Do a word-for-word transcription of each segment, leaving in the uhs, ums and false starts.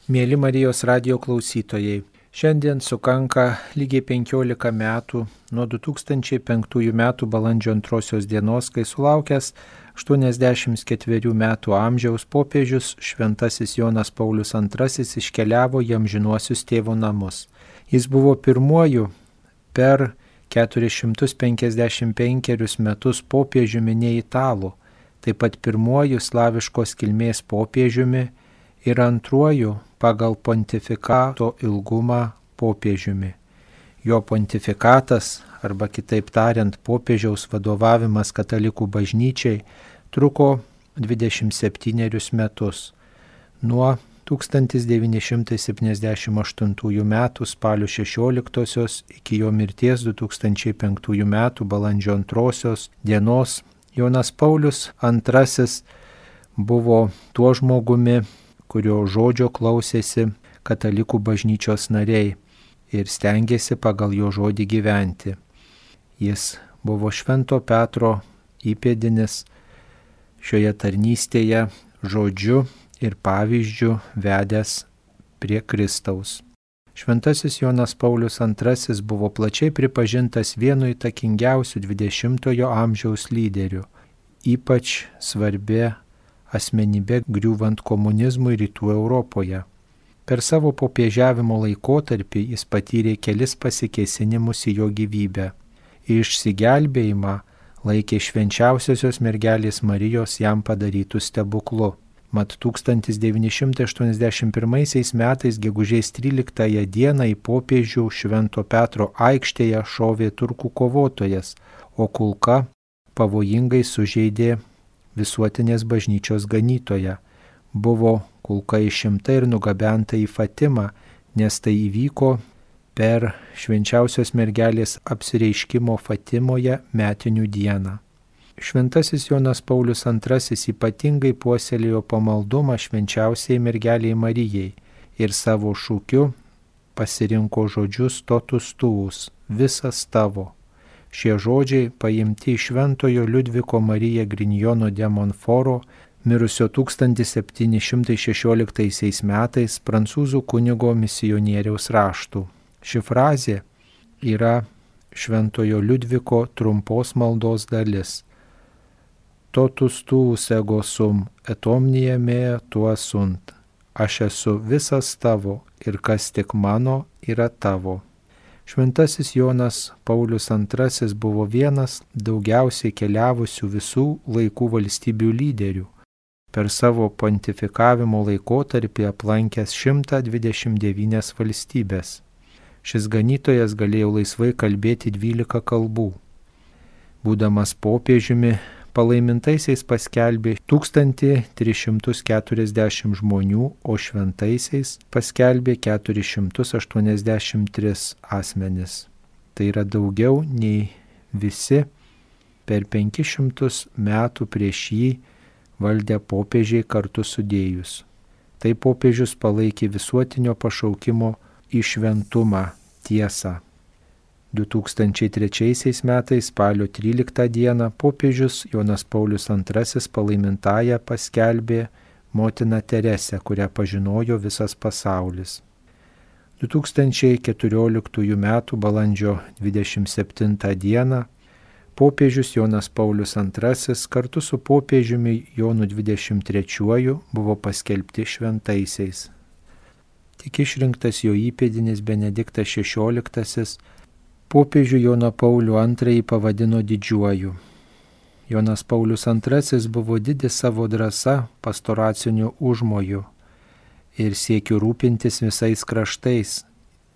Mėly Marijos radijo klausytojai, šiandien sukanka lygiai penkiolika metų nuo du tūkstančiai penktųjų metų balandžio antrosios dienos, kai sulaukęs aštuoniasdešimt ketverių metų amžiaus popiežius Šventasis Jonas Paulius antrasis iškeliavo į amžinuosius tėvo namus. Jis buvo pirmuoju per keturis šimtus penkiasdešimt penkerius metus popiežiumi ne italų, taip pat pirmuoju slaviškos kilmės popiežiumi ir antruoju pagal pontifikato ilgumą popiežiumi. Jo pontifikatas, arba kitaip tariant, popiežiaus vadovavimas katalikų bažnyčiai truko dvidešimt septynerius metus, nuo tūkstantis devyni šimtai septyniasdešimt aštuntųjų metų spalio šešioliktosios iki jo mirties du tūkstančiai penktųjų metų balandžio antrosios dienos. Jonas Paulius antrasis buvo tuo žmogumi, kurio žodžio klausėsi katalikų bažnyčios nariai ir stengėsi pagal jo žodį gyventi. Jis buvo Švento Petro įpėdinis, šioje tarnystėje žodžiu ir pavyzdžiu vedęs prie Kristaus. Šventasis Jonas Paulius antrasis buvo plačiai pripažintas vienu įtakingiausių dvidešimtojo amžiaus lyderių, ypač svarbia asmenybė griūvant komunizmui rytų Europoje. Per savo popiežiavimo laikotarpį jis patyrė kelis pasikėsinimus į jo gyvybę. Išsigelbėjimą laikė švenčiausiosios mergelės Marijos jam padarytų stebuklu. Mat tūkstantis devyni šimtai aštuoniasdešimt pirmaisiais metais gegužės tryliktąją dieną į popiežių Švento Petro aikštėje šovė turkų kovotojas, o kulka pavojingai sužeidė visuotinės bažnyčios ganytoją. Buvo kulka išimta ir nugabenta į Fatimą, nes tai įvyko per švenčiausios mergelės apsireiškimo Fatimoje metinių dieną. Šventasis Jonas Paulius antrasis ypatingai puoselėjo pamaldumą švenčiausiai mergeliai Marijai ir savo šūkiu pasirinko žodžius totus tuus, visas tavo. Šie žodžiai paimti iš Šventojo Liudviko Marija Grignijono de Montforo, mirusio tūkstantis septyni šimtai šešioliktaisiais metais prancūzų kunigo misionieriaus raštų. Ši frazė yra Šventojo Liudviko trumpos maldos dalis. Totus tuus ego sum, et omnia mea tua sunt. Aš esu visas tavo ir kas tik mano yra tavo. Šventasis Jonas Paulius antrasis buvo vienas daugiausiai keliavusių visų laikų valstybių lyderių. Per savo pontifikavimo laikotarpį aplankęs šimtą dvidešimt devynias valstybės. Šis ganytojas galėjo laisvai kalbėti dvylika kalbų. Būdamas popiežiumi, palaimintaisiais paskelbė tūkstantį tris šimtus keturiasdešimt žmonių, o šventaisiais paskelbė keturis šimtus aštuoniasdešimt tris asmenis. Tai yra daugiau nei visi per penkis šimtus metų prieš jį valdę popiežiai kartu sudėjus. Tai popiežius palaikė visuotinio pašaukimo į šventumą tiesą. du tūkstančiai trečiaisiais metais spalio tryliktą dieną popiežius Jonas Paulius antrasis palaimintąją paskelbė motiną Teresę, kurią pažinojo visas pasaulis. du tūkstančiai keturioliktųjų metų balandžio dvidešimt septintą dieną popiežius Jonas Paulius antrasis kartu su popiežiumi Jonu dvidešimt trečiuoju buvo paskelbti šventaisiais. Tik išrinktas jo įpėdinis Benediktas šešioliktasis popiežių Joną Paulių antrąjį pavadino didžiuoju. Jonas Paulius antrasis buvo didis savo drąsa, pastoraciniu užmoju ir siekiu rūpintis visais kraštais,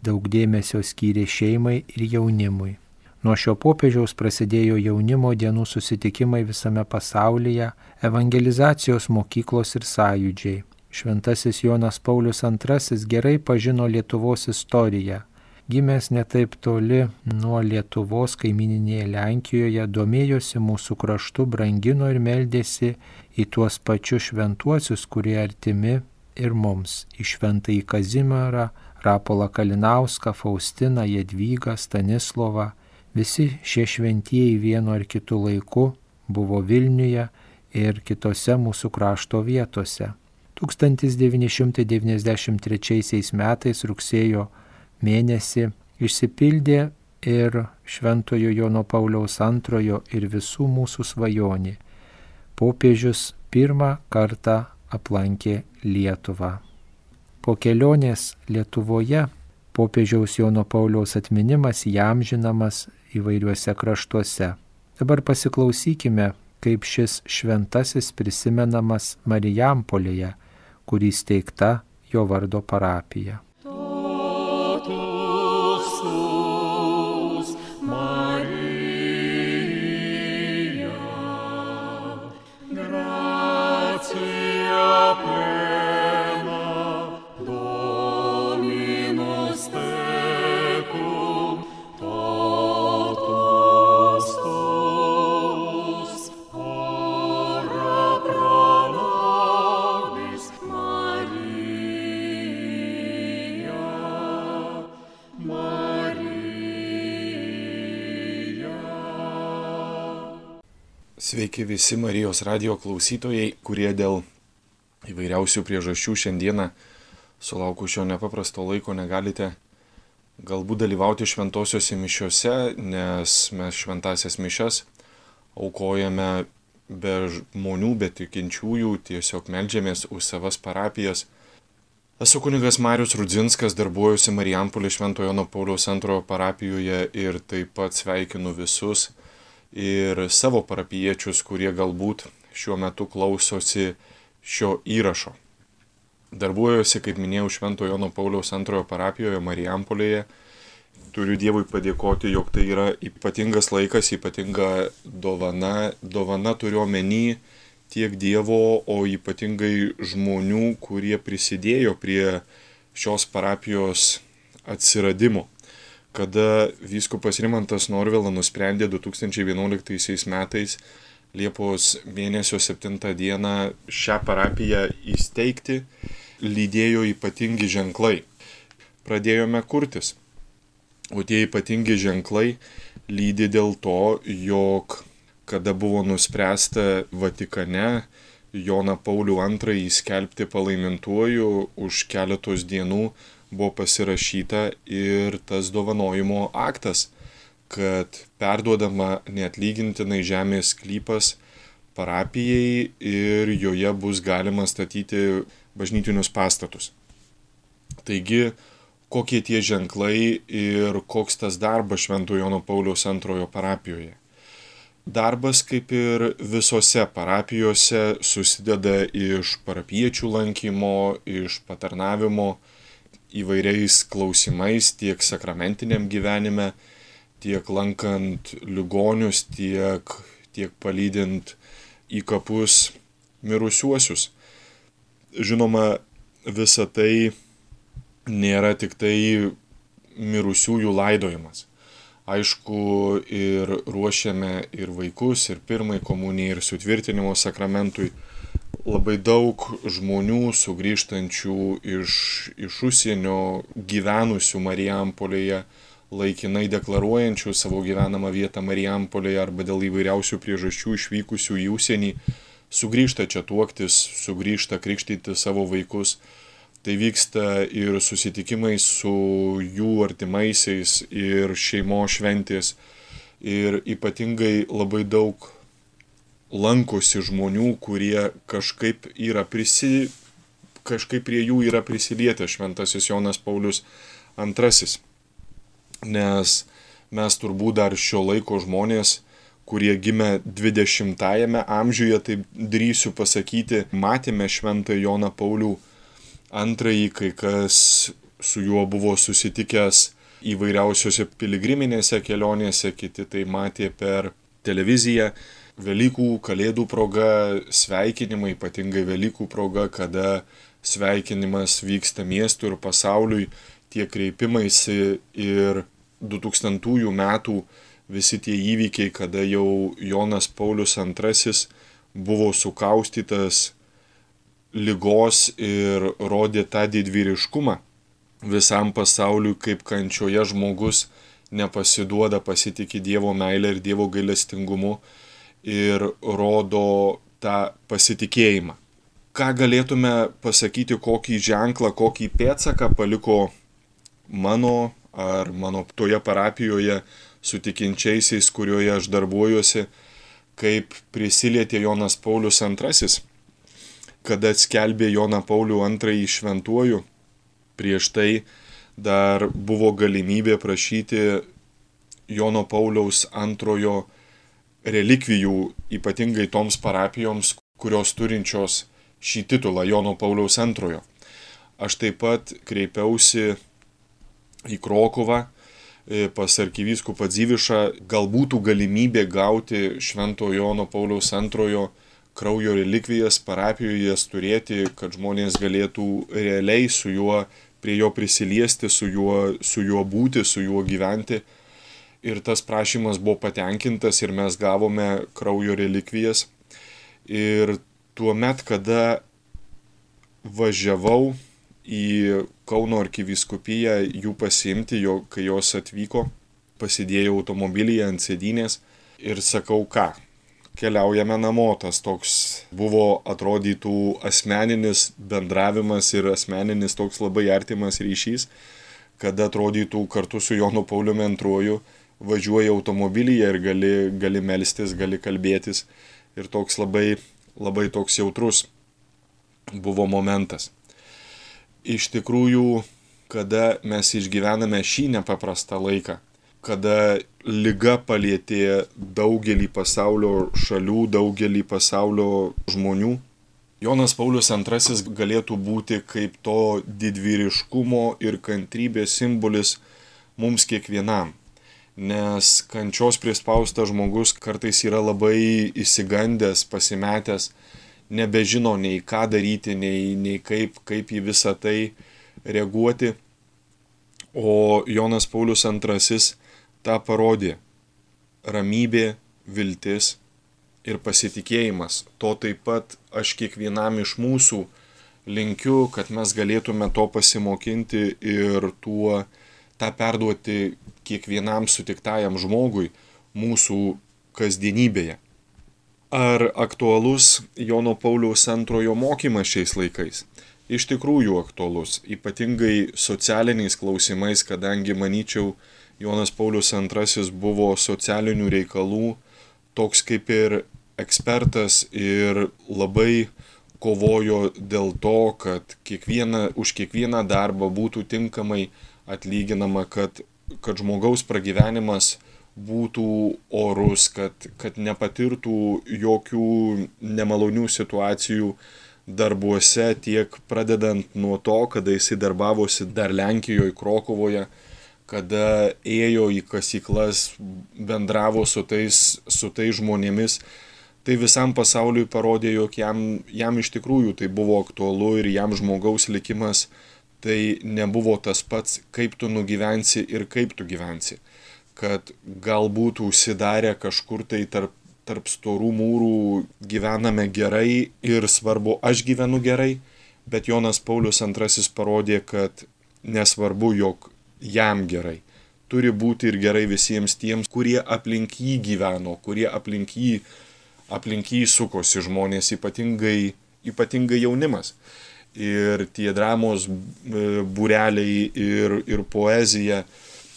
daug dėmesio skyrė šeimai ir jaunimui. Nuo šio popiežiaus prasidėjo jaunimo dienų susitikimai visame pasaulyje, evangelizacijos mokyklos ir sąjūdžiai. Šventasis Jonas Paulius antrasis gerai pažino Lietuvos istoriją. Gimęs netaip toli nuo Lietuvos kaimininėje Lenkijoje, domėjosi mūsų kraštu, brangino ir meldėsi į tuos pačius šventuosius, kurie artimi ir mums, į Šventąjį Kazimierą, Rapolą Kalinauską, Faustiną, Jadvygą, Stanislovą. Visi šie šventieji vienu ar kitu laiku buvo Vilniuje ir kitose mūsų krašto vietose. tūkstantis devyni šimtai devyniasdešimt trečiaisiais metais rugsėjo mėnesį išsipildė ir Šventojo Jono Pauliaus antrojo ir visų mūsų svajonė. Popiežius pirmą kartą aplankė Lietuvą. Po kelionės Lietuvoje popiežiaus Jono Pauliaus atminimas įamžinamas įvairiuose kraštuose. Dabar pasiklausykime, kaip šis šventasis prisimenamas Marijampolėje, kurį steigta jo vardo parapija. Sveiki visi Marijos radijo klausytojai, kurie dėl įvairiausių priežasčių šiandieną sulaukus šio nepaprasto laiko negalite galbūt dalyvauti šventosiuose mišiuose, nes mes šventasias mišias aukojame be žmonių, be tikinčiųjų, tiesiog meldžiamės už savas parapijas. Esu kunigas Marius Rudzinskas, darbuojuosi Marijampolės Šventojo Jono Pauliaus antrojo parapijoje ir taip pat sveikinu visus ir savo parapijiečius, kurie galbūt šiuo metu klausosi šio įrašo. Darbuojuosi, kaip minėjau, Šventojo Jono Pauliaus antrojo parapijoje Marijampolėje. Turiu Dievui padėkoti, jog tai yra ypatingas laikas, ypatinga dovana. Dovana turiu omeny tiek Dievo, o ypatingai žmonių, kurie prisidėjo prie šios parapijos atsiradimo. Kada vyskupas Rimantas Norvila nusprendė du tūkstančiai vienuoliktaisiais metais Liepos mėnesio septintą dieną šią parapiją įsteigti, lydėjo ypatingi ženklai. Pradėjome kurtis, o tie ypatingi ženklai lydi dėl to, jog kada buvo nuspręsta Vatikane Joną Paulių antrąjį skelbti palaimintuoju, už keletos dienų buvo pasirašyta ir tas dovanojimo aktas, kad perduodama neatlygintinai žemės sklypas parapijai ir joje bus galima statyti bažnytinius pastatus. Taigi, kokie tie ženklai ir koks tas darbas Šventojo Jono Pauliaus antrojo parapijoje? Darbas, kaip ir visose parapijose, susideda iš parapiečių lankymo, iš patarnavimo įvairiais klausimais tiek sakramentiniam gyvenime, tiek lankant ligonius, tiek, tiek palydint į kapus mirusiuosius. Žinoma, visa tai nėra tik tai mirusiųjų laidojimas. Aišku, ir ruošiame ir vaikus, ir pirmai komunijai, ir sutvirtinimo sakramentui. Labai daug žmonių sugrįžtančių iš, iš užsienio gyvenusių Marijampolėje, laikinai deklaruojančių savo gyvenamą vietą Marijampolėje arba dėl įvairiausių priežasčių išvykusių į užsienį, sugrįžta čia tuoktis, sugrįžta krikštyti savo vaikus. Tai vyksta ir susitikimai su jų artimaisiais ir šeimos šventės. Ir ypatingai labai daug lankosi žmonių, kurie kažkaip, yra prisi, kažkaip prie jų yra prisilietę Šventasis Jonas Paulius antrasis. Nes mes turbūt dar šio laiko žmonės, kurie gimė dvidešimtajame amžiuje, taip drįsiu pasakyti, matėme Šventąjį Joną Paulių antrąjį, kai kas su juo buvo susitikęs įvairiausiose piligriminėse kelionėse, kiti tai matė per televiziją. Velykų, Kalėdų proga, sveikinimai, ypatingai Velykų proga, kada sveikinimas vyksta miestui ir pasauliui, tie kreipimaisi ir dutūkstantųjų metų visi tie įvykiai, kada jau Jonas Paulius antrasis buvo sukaustytas ligos ir rodė tą didvyriškumą visam pasauliui, kaip kančioje žmogus nepasiduoda, pasitikė Dievo meilę ir Dievo gailestingumu ir rodo tą pasitikėjimą. ką galėtume pasakyti, kokį ženklą, kokį pėdsaką paliko mano ar mano toje parapijoje su tikinčiaisiais, kurioje aš darbuojuosi, kaip prisilietė Jonas Paulius antrasis, kada skelbė Joną Paulių antrąjį šventuoju. Prieš tai dar buvo galimybė prašyti Jono Pauliaus antrojo relikvijų, ypatingai toms parapijoms, kurios turinčios šį titulą Jono Pauliaus antrojo. Aš taip pat kreipiausi į Krokuvą pas arkivyskupą Dzivišą, gal būtų galimybė gauti švento Jono Pauliaus antrojo kraujo relikvijas parapijoje, jas turėti, kad žmonės galėtų realiai su juo, prie jo prisiliesti, su juo, su juo būti, su juo gyventi. Ir tas prašymas buvo patenkintas ir mes gavome kraujo relikvijas. Ir tuo met, kada važiavau į Kauno arkivyskupiją jų pasiimti, jo, kai jos atvyko, pasidėjau automobilyje ant sėdynės ir sakau, ką, keliaujame namo. Tas toks buvo, atrodytų, asmeninis bendravimas ir asmeninis toks labai artimas ryšys, kada atrodytų kartu su Jonu Pauliumi antruoju važiuoji automobilyje ir gali, gali melstis, gali kalbėtis. Ir toks labai, labai toks jautrus buvo momentas. Iš tikrųjų, kada mes išgyvename šį nepaprastą laiką, kada liga palietė daugelį pasaulio šalių, daugelį pasaulio žmonių, Jonas Paulius antrasis galėtų būti kaip to didvyriškumo ir kantrybės simbolis mums kiekvienam. Nes kančios prispaustas žmogus kartais yra labai išsigandęs, pasimetęs, nebežino nei ką daryti, nei, nei kaip, kaip į visą tai reaguoti. O Jonas Paulius antrasis tą parodė. Ramybė, viltis ir pasitikėjimas. To taip pat aš kiekvienam iš mūsų linkiu, kad mes galėtume to pasimokinti ir tuo tą perduoti kiekvienam sutiktajam žmogui mūsų kasdienybėje. Ar aktualus Jono Pauliaus antrojo mokymas šiais laikais? Iš tikrųjų aktualus, ypatingai socialiniais klausimais, kadangi, manyčiau, Jonas Paulius antrasis buvo socialinių reikalų toks kaip ir ekspertas ir labai kovojo dėl to, kad kiekviena, už kiekvieną darbą būtų tinkamai atlyginama, kad, kad žmogaus pragyvenimas būtų orus, kad, kad nepatirtų jokių nemalonių situacijų darbuose, tiek pradedant nuo to, kada jisai darbavosi dar Lenkijoje, Krokuvoje, kada ėjo į kasyklas, bendravo su tais, su tais žmonėmis. Tai visam pasauliui parodė, jog jam, jam iš tikrųjų tai buvo aktualu ir jam žmogaus likimas tai nebuvo tas pats, kaip tu nugyvensi ir kaip tu gyvensi. Kad galbūt užsidarę kažkur tai tarp, tarp storų mūrų gyvename gerai ir svarbu, aš gyvenu gerai, bet Jonas Paulius antrasis parodė, kad nesvarbu, jog jam gerai. Turi būti ir gerai visiems tiems, kurie aplink jį gyveno, kurie aplink jį, aplink jį sukosi žmonės, ypatingai, ypatingai jaunimas. Ir tie dramos būreliai ir, ir poezija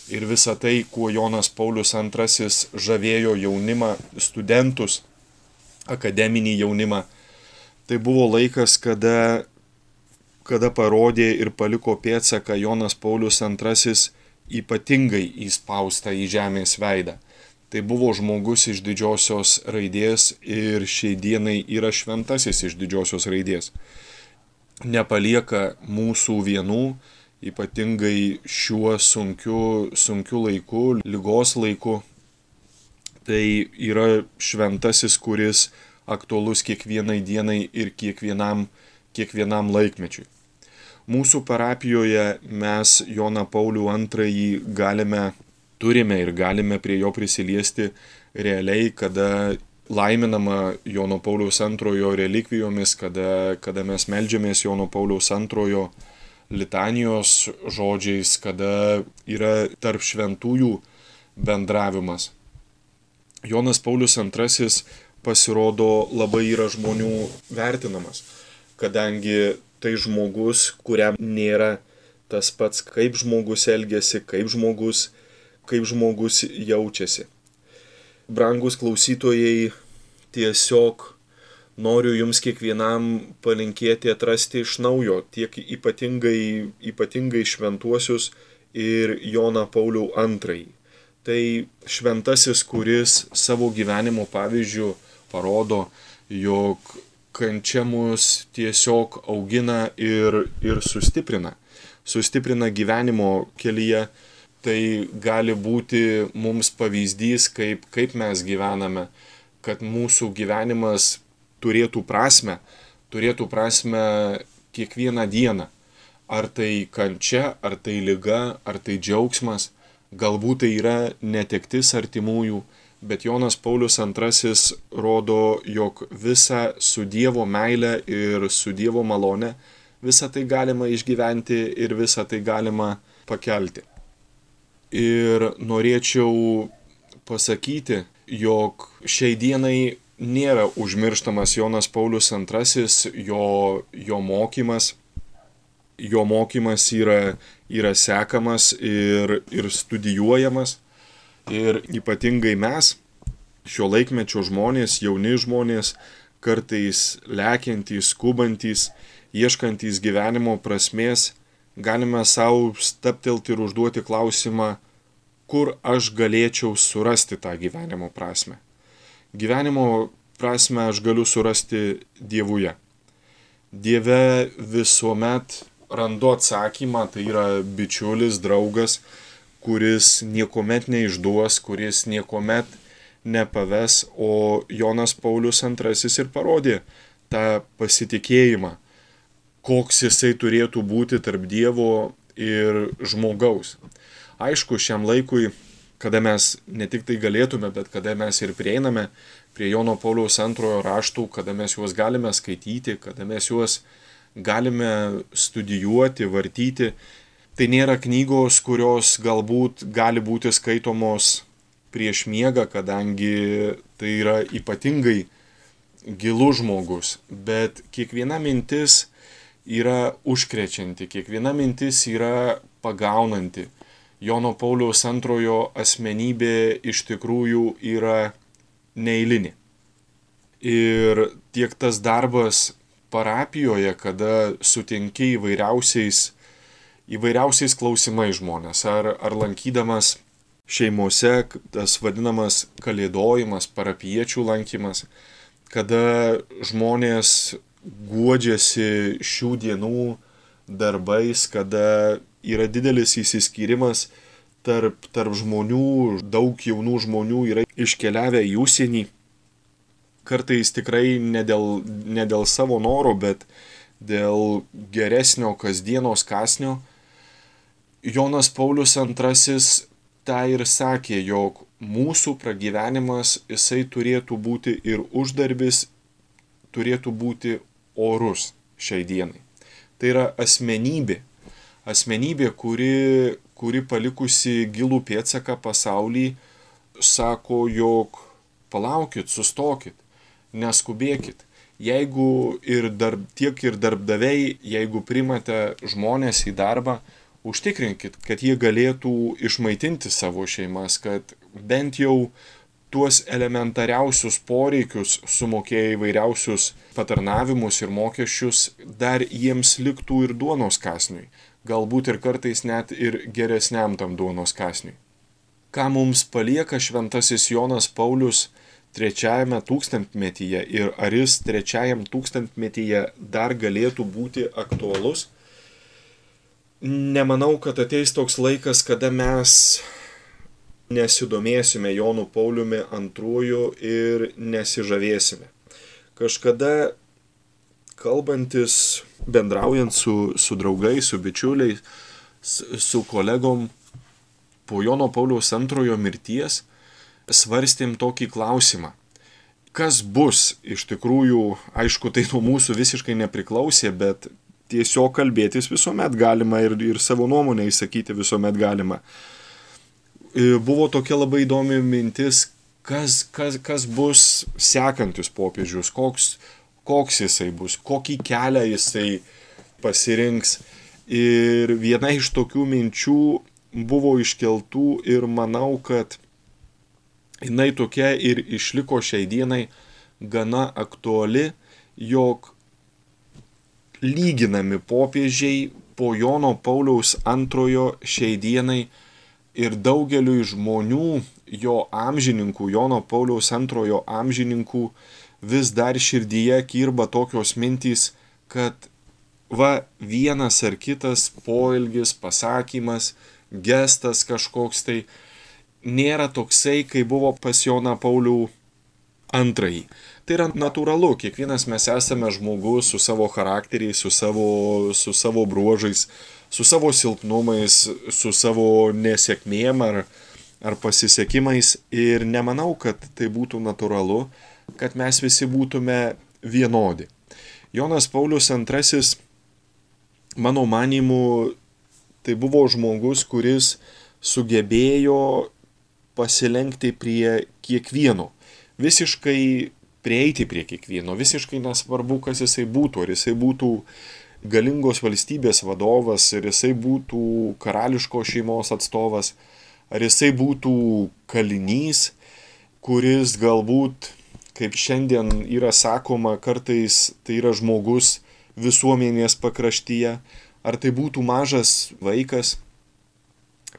ir visa tai, kuo Jonas Paulius antrasis žavėjo jaunimą, studentus, akademinį jaunimą. Tai buvo laikas, kada, kada parodė ir paliko pėdsaką Jonas Paulius antrasis ypatingai įspaustą į žemės veidą. Tai buvo žmogus iš didžiosios raidės ir šiai dienai yra šventasis iš didžiosios raidės. Nepalieka mūsų vienų, ypatingai šiuo sunkiu, sunkiu laiku, ligos laiku. Tai yra šventasis, kuris aktualus kiekvienai dienai ir kiekvienam, kiekvienam laikmečiui. Mūsų parapijoje mes Joną Paulių antrąjį galime, turime ir galime prie jo prisiliesti realiai, kada laiminama Jono Pauliaus antrojo relikvijomis, kada, kada mes meldžiamės Jono Pauliaus antrojo litanijos žodžiais, kada yra tarp šventųjų bendravimas. Jonas Paulius antrasis pasirodo labai yra žmonių vertinamas. kadangi tai žmogus, kuriam nėra tas pats, kaip žmogus elgiasi, kaip žmogus, kaip žmogus jaučiasi. Brangus klausytojai, tiesiog noriu jums kiekvienam palinkėti atrasti iš naujo tiek ypatingai, ypatingai šventuosius ir Joną Paulių antrąjį. Tai šventasis, kuris savo gyvenimo pavyzdžiu parodo, jog kančia mus tiesiog augina ir, ir sustiprina. Sustiprina gyvenimo kelyje. Tai gali būti mums pavyzdys, kaip, kaip mes gyvename, kad mūsų gyvenimas turėtų prasmę, turėtų prasmę kiekvieną dieną. Ar tai kančia, ar tai liga, ar tai džiaugsmas, galbūt tai yra netektis artimųjų, bet Jonas Paulius antrasis rodo, jog visą su Dievo meile ir su Dievo malone, visą tai galima išgyventi ir visą tai galima pakelti. Ir norėčiau pasakyti, jog šiai dienai nėra užmirštamas Jonas Paulius antrasis, jo, jo mokymas. Jo mokymas yra, yra sekamas ir, ir studijuojamas. Ir ypatingai mes, šio laikmečio žmonės, jauni žmonės, kartais lekiantys, skubantys, ieškantys gyvenimo prasmės, galime savo stabtelti ir užduoti klausimą, kur aš galėčiau surasti tą gyvenimo prasmę. Gyvenimo prasmę aš galiu surasti Dievuje. Dieve visuomet randu atsakymą, tai yra bičiulis, draugas, kuris niekuomet neišduos, kuris niekuomet nepaves, o Jonas Paulius antrasis ir parodė tą pasitikėjimą, koks jisai turėtų būti tarp Dievo ir žmogaus. Aišku, šiam laikui, kada mes ne tik tai galėtume, bet kada mes ir prieiname prie Jono Pauliaus antrojo raštų, kada mes juos galime skaityti, kada mes juos galime studijuoti, vartyti, tai nėra knygos, kurios galbūt gali būti skaitomos prieš miegą, kadangi tai yra ypatingai gilus žmogus, bet kiekviena mintis yra užkrečianti, kiekviena mintis yra pagaunanti. Jono Pauliaus antrojo asmenybė iš tikrųjų yra neeilinė. Ir tiek tas darbas parapijoje, kada sutinki įvairiausiais, įvairiausiais klausimais žmonės, ar, ar lankydamas šeimose, tas vadinamas kalėdojimas, parapiečių lankymas, kada žmonės guodžiasi šių dienų darbais, kada yra didelis įsiskyrimas tarp, tarp žmonių, daug jaunų žmonių yra iškeliavę į užsienį, kartais tikrai ne dėl, ne dėl savo noro, bet dėl geresnio kasdienos kąsnio. Jonas Paulius antrasis tą ir sakė, jog mūsų pragyvenimas jisai turėtų būti ir uždarbis, turėtų būti orus šiai dienai. Tai yra asmenybė, asmenybė, kuri, kuri palikusi gilų pėdsaką pasaulį, sako, jog palaukit, sustokit, neskubėkit. Jeigu ir darb, tiek ir darbdaviai, jeigu primate žmonės į darbą, užtikrinkit, kad jie galėtų išmaitinti savo šeimas, kad bent jau tuos elementariausius poreikius sumokėję įvairiausius patarnavimus ir mokesčius, dar jiems liktų ir duonos kąsniui, galbūt ir kartais net ir geresniam tam duonos kąsniui. Ką mums palieka šventasis Jonas Paulius trečiajame tūkstantmetyje ir ar jis trečiajam tūkstantmetyje dar galėtų būti aktualus? Nemanau, kad ateis toks laikas, kada mes nesidomėsime Jonu Pauliumi antruoju ir nesižavėsime. Kažkada kalbantis, bendraujant su, su draugais, su bičiuliais, su kolegom, po Jono Pauliaus antrojo mirties svarstėm tokį klausimą. Kas bus iš tikrųjų, aišku, tai nuo mūsų visiškai nepriklausė, bet tiesiog kalbėtis visuomet galima ir, ir savo nuomonę įsakyti visuomet galima. Buvo tokia labai įdomi mintis, kas, kas, kas bus sekantis popiežius, koks, koks jisai bus, kokį kelią jisai pasirinks. Ir viena iš tokių minčių buvo iškeltų ir manau, kad jinai tokia ir išliko šiai dienai gana aktuali, jog lyginami popiežiai po Jono Pauliaus antrojo šiai dienai ir daugeliui žmonių, jo amžininkų, Jono Pauliaus antrojo amžininkų, vis dar širdyje kirba tokios mintys, kad va vienas ar kitas poelgis, pasakymas, gestas kažkoks tai nėra toksai, kai buvo pas Joną Paulių antrąjį. Tai yra natūralu, kiekvienas mes esame žmogus su savo charakteriais, su savo, su savo bruožais, su savo silpnumais, su savo nesėkmėm ar, ar pasisekimais ir nemanau, kad tai būtų natūralu, kad mes visi būtume vienodi. Jonas Paulius antrasis, mano manymu, tai buvo žmogus, kuris sugebėjo pasilenkti prie kiekvieno, visiškai prieiti prie kiekvieno, visiškai nesvarbu, kas jisai būtų, ar jisai būtų galingos valstybės vadovas, ar jisai būtų karališkos šeimos atstovas, ar jisai būtų kalinys, kuris galbūt, kaip šiandien yra sakoma, kartais tai yra žmogus visuomenės pakraštyje, ar tai būtų mažas vaikas,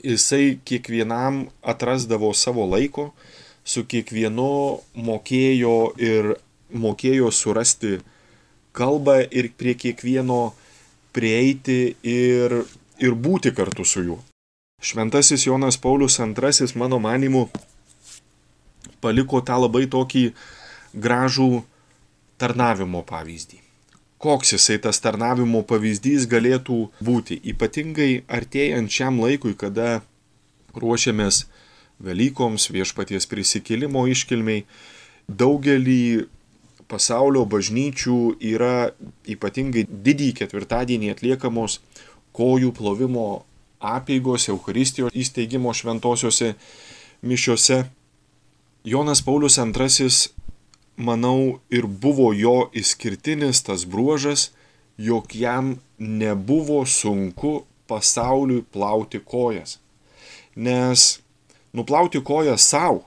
jisai kiekvienam atrasdavo savo laiko, su kiekvienu mokėjo ir mokėjo surasti kalbą ir prie kiekvieno prieiti ir, ir būti kartu su juo. Šventasis Jonas Paulius antrasis, mano manymu, paliko tą labai tokį gražų tarnavimo pavyzdį. Koks jisai tas tarnavimo pavyzdys galėtų būti, ypatingai artėjant šiam laikui, kada ruošiamės Velykoms, Viešpaties prisikėlimo iškilmiai, daugelį pasaulio bažnyčių yra ypatingai didįjį ketvirtadienį atliekamos kojų plovimo apeigos, Eucharistijos įsteigimo šventosiuose mišiuose. Jonas Paulius antrasis, manau, ir buvo jo išskirtinis tas bruožas, jog jam nebuvo sunku pasauliui plauti kojas. Nes nuplauti kojas savo,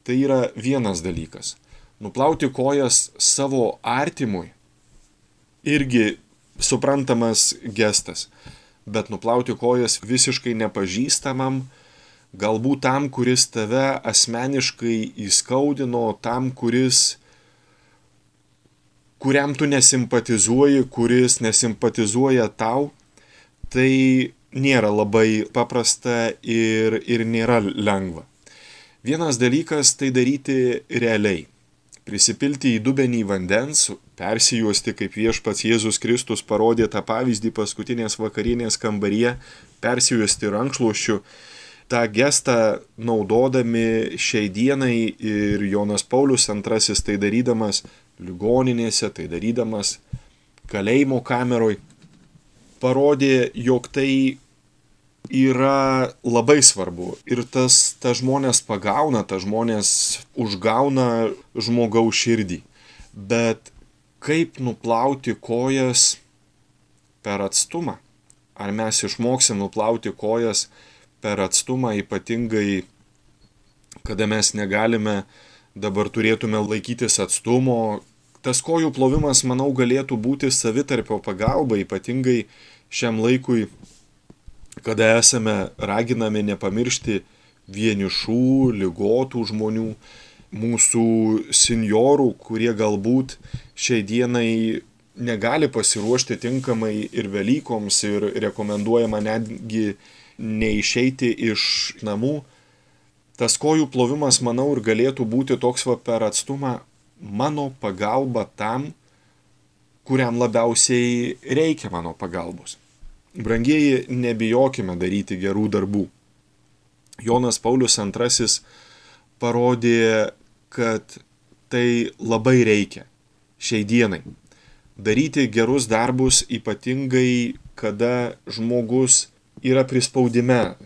tai yra vienas dalykas. Nuplauti kojas savo artimui irgi suprantamas gestas. Bet nuplauti kojas visiškai nepažįstamam, galbūt tam, kuris tave asmeniškai įskaudino, tam, kuris, kuriam tu nesimpatizuoji, kuris nesimpatizuoja tau, tai nėra labai paprasta ir, ir nėra lengva. Vienas dalykas tai daryti realiai. Prisipilti į dubenį vandens, persijuosti, kaip viešpats Jėzus Kristus parodė tą pavyzdį paskutinės vakarienės kambaryje, persijuosti rankšluosčiu. Ta gestą naudodami šiai dienai ir Jonas Paulius antrasis tai darydamas ligoninėse, tai darydamas kalėjimo kameroj, parodė, jog tai yra labai svarbu ir tas, tas žmonės pagauna, tas žmonės užgauna žmogaus širdį. Bet kaip nuplauti kojas per atstumą? Ar mes išmoksim nuplauti kojas per atstumą, ypatingai, kada mes negalime, dabar turėtume laikytis atstumo? Tas kojų plovimas, manau, galėtų būti savitarpio pagalba, ypatingai šiam laikui, kada esame raginami nepamiršti vienišų, ligotų žmonių, mūsų senjorų, kurie galbūt šiai dienai negali pasiruošti tinkamai ir Velykoms ir rekomenduojama netgi neišeiti iš namų. Tas kojų plovimas, manau, ir galėtų būti toks va per atstumą mano pagalba tam, kuriam labiausiai reikia mano pagalbos. Brangieji, nebijokime daryti gerų darbų. Jonas Paulius antrasis parodė, kad tai labai reikia šiai dienai. Daryti gerus darbus, ypatingai kada žmogus yra prispaudime,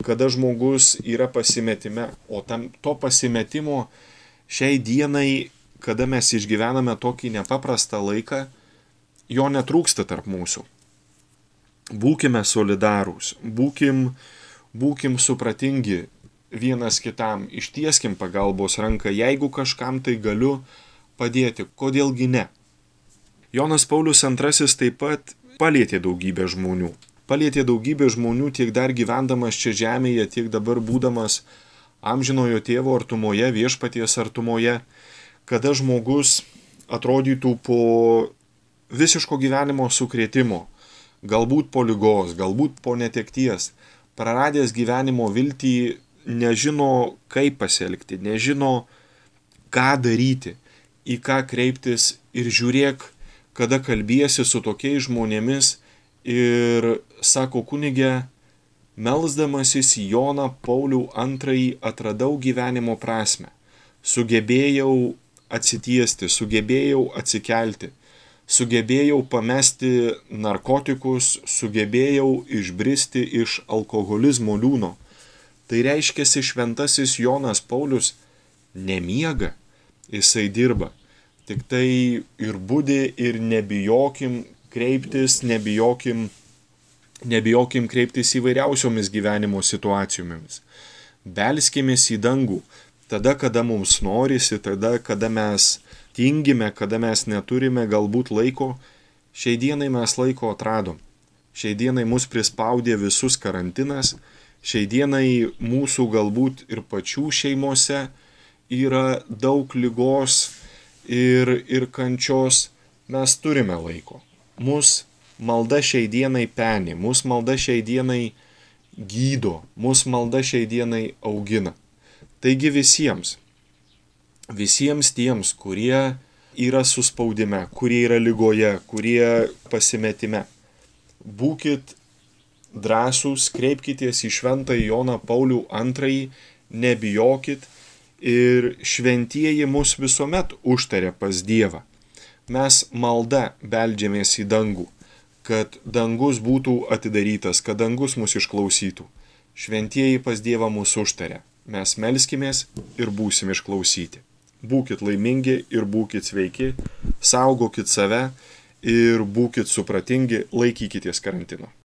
kada žmogus yra pasimetime, o tam, to pasimetimo šiai dienai kada mes išgyvename tokį nepaprastą laiką, jo netrūksta tarp mūsų. Būkime solidarūs, būkim, būkim supratingi vienas kitam, ištieskim pagalbos ranką, jeigu kažkam tai galiu padėti, kodėlgi ne. Jonas Paulius antrasis taip pat palietė daugybę žmonių. Palietė daugybę žmonių tiek dar gyvendamas čia žemėje, tiek dabar būdamas amžinojo tėvo artumoje, viešpaties artumoje, kada žmogus atrodytų po visiško gyvenimo sukrėtimo, galbūt po ligos, galbūt po netekties, praradęs gyvenimo viltį, nežino, kaip pasielgti, nežino, ką daryti, į ką kreiptis ir žiūrėk, kada kalbiesi su tokiais žmonėmis ir sako kunige, melsdamasis Joną Paulių antrąjį atradau gyvenimo prasmę, sugebėjau atsitiesti, sugebėjau atsikelti, sugebėjau pamesti narkotikus, sugebėjau išbristi iš alkoholizmo liūno. Tai reiškiasi šventasis Jonas Paulius nemiega, jisai dirba. Tik tai ir budi ir nebijokim kreiptis, nebijokim, nebijokim kreiptis įvairiausiomis gyvenimo situacijomis. Belskimės į dangų, tada, kada mums norisi, tada, kada mes tingime, kada mes neturime galbūt laiko. Šiai dienai mes laiko atradom. Šiai dienai mus prispaudė visus karantinas. Šiai dienai mūsų galbūt ir pačių šeimose yra daug ligos ir, ir kančios. Mes turime laiko. Mus malda šiai dienai peni, mus malda šiai dienai gydo, mus malda šiai dienai augina. Taigi visiems, visiems tiems, kurie yra suspaudime, kurie yra ligoje, kurie pasimetime, būkit drąsūs, kreipkitės į šventąjį Joną Paulių antrąjį, nebijokit ir šventieji mus visuomet užtaria pas Dievą. Mes malda beldžiamės į dangų, kad dangus būtų atidarytas, kad dangus mus išklausytų. Šventieji pas Dievą mus užtaria. Mes melskimės ir būsim išklausyti. Būkit laimingi ir būkit sveiki, saugokit save ir būkit supratingi, laikykitės karantino.